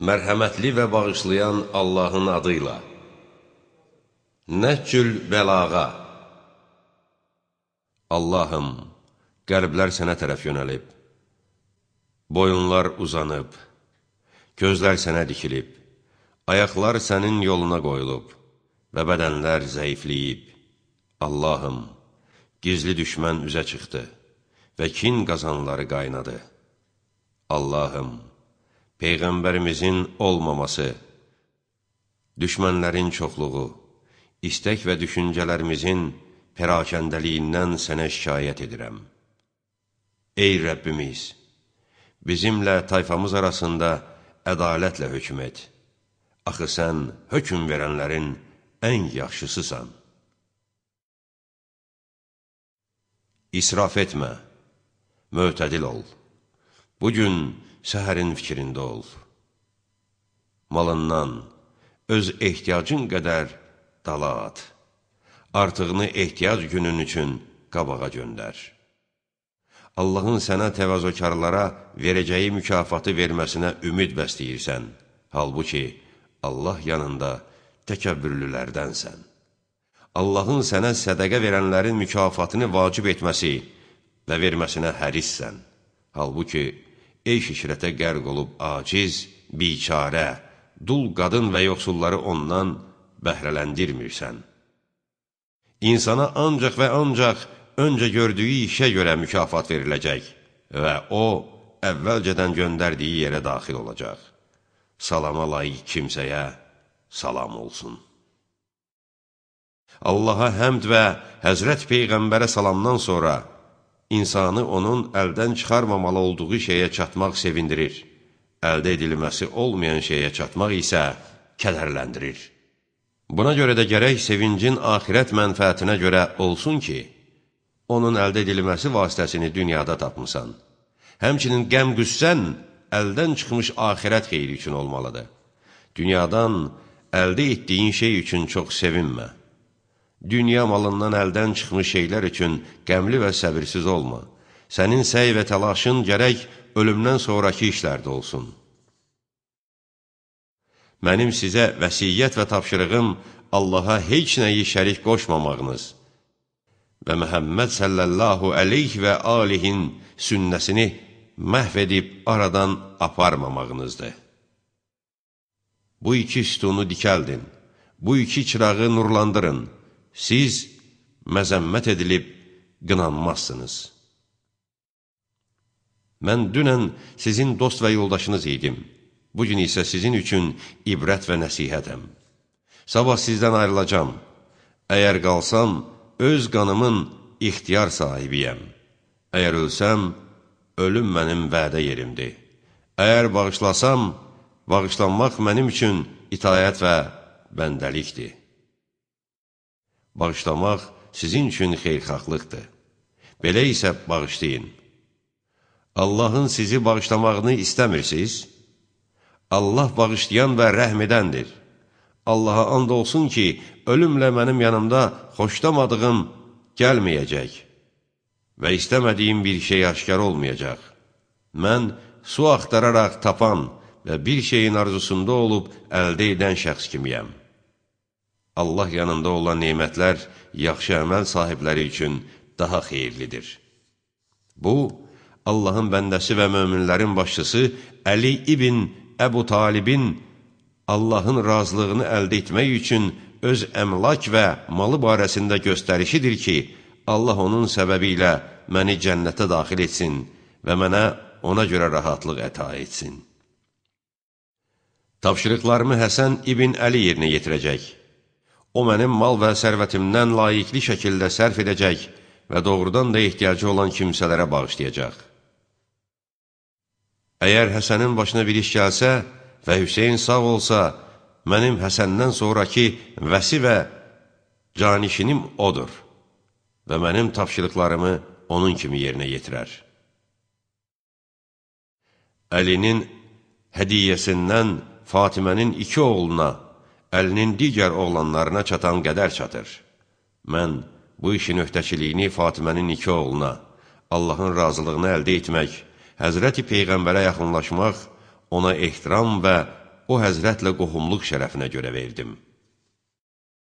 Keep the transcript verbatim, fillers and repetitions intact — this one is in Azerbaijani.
Mərhəmətli və bağışlayan Allahın adıyla. Nəhcül bəlağa. Allahım, qəlblər sənə tərəf yönəlib, boyunlar uzanıb, gözlər sənə dikilib, ayaqlar sənin yoluna qoyulub və bədənlər zəifləyib. Allahım, gizli düşmən üzə çıxdı və kin qazanları qaynadı. Allahım, Peyğəmbərimizin olmaması, düşmənlərin çoxluğu, istək və düşüncələrimizin pərakəndəliyindən sənə şikayət edirəm. Ey Rəbbimiz, bizimlə tayfamız arasında ədalətlə hökm et. Axı sən hökm verənlərin ən yaxşısısan. İsraf etmə, mötədil ol. Bugün səhərin fikrində ol. Malından öz ehtiyacın qədər dala at. Artığını ehtiyac günün üçün qabağa göndər. Allahın sənə təvazökarlara verəcəyi mükafatı verməsinə ümid bəsləyirsən. Halbuki Allah yanında təkəbbürlülərdənsən. Allahın sənə sədəqə verənlərin mükafatını vacib etməsi və verməsinə hərissən. Halbuki eyş işrətə qərq olub aciz, biçarə, dul qadın və yoxsulları ondan bəhrələndirmirsən. İnsana ancaq və ancaq öncə gördüyü işə görə mükafat veriləcək və o, əvvəlcədən göndərdiyi yerə daxil olacaq. Salama layiq kimsəyə salam olsun. Allaha həmd və Həzrət Peyğəmbərə salamdan sonra İnsanı onun əldən çıxarmamalı olduğu şeyə çatmaq sevindirir. Əldə edilməsi olmayan şeyə çatmaq isə kədərləndirir. Buna görə də gərək sevincin axirət mənfəətinə görə olsun ki, onun əldə edilməsi vasitəsini dünyada tapmısan. Həmçinin qəm-qüssən əldən çıxmış axirət xeyri üçün olmalıdır. Dünyadan əldə etdiyin şey üçün çox sevinmə. Dünya malından əldən çıxmış şeylər üçün qəmli və səbirsiz olma. Sənin səy və təlaşın gərək ölümdən sonraki işlərdə olsun. Mənim sizə vəsiyyət və tapşırığım Allaha heç nəyi şərik qoşmamağınız və Məhəmməd sallallahu əleyhi və alihin sünnəsini məhv edib aradan aparmamağınızdır. Bu iki sütunu dikəldin, bu iki çırağı nurlandırın. Siz məzəmmət edilib qınanmazsınız. Mən dünən sizin dost və yoldaşınız idim. Bugün isə sizin üçün ibrət və nəsihətəm. Sabah sizdən ayrılacam. Əgər qalsam, öz qanımın ixtiyar sahibiyəm. Əgər ölsəm, ölüm mənim vədə yerimdir. Əgər bağışlasam, bağışlanmaq mənim üçün itayət və bəndəlikdir. Bağışlamaq sizin üçün xeyrxahlıqdır. Belə isə bağışlayın. Allahın sizi bağışlamağını istəmirsiniz? Allah bağışlayan və rəhm edəndir. Allaha and olsun ki, ölümlə mənim yanımda xoşlamadığım gəlməyəcək və istəmədiyim bir şey aşkar olmayacaq. Mən su axtararaq tapan və bir şeyin arzusunda olub əldə edən şəxs kimiyəm. Allah yanında olan nemətlər yaxşı əməl sahibləri üçün daha xeyirlidir. Bu, Allahın bəndəsi və möminlərin başçısı Əli ibn Əbu Talibin Allahın razılığını əldə etmək üçün öz əmlak və malı barəsində göstərişidir ki, Allah onun səbəbi ilə məni cənnətə daxil etsin və mənə ona görə rahatlıq əta etsin. Tapşırıqlarımı Həsən ibn Əli yerinə yetirəcək. O mənim mal və sərvətimdən layiqli şəkildə sərf edəcək və doğrudan da ehtiyacı olan kimsələrə bağışlayacaq. Əgər Həsənin başına bir iş gəlsə və Hüseyin sağ olsa, mənim Həsəndən sonraki vəsi və canişinim odur və mənim tapşırıqlarımı onun kimi yerinə yetirər. Əlinin hədiyyəsindən Fatimənin iki oğluna, Əlinin digər oğlanlarına çatan qədər çatır. Mən bu işin öhdəçiliyini Fatimənin iki oğluna, Allahın razılığını əldə etmək, Həzrəti Peyğəmbərə yaxınlaşmaq, ona ehtiram və o həzrətlə qohumluq şərəfinə görə verdim.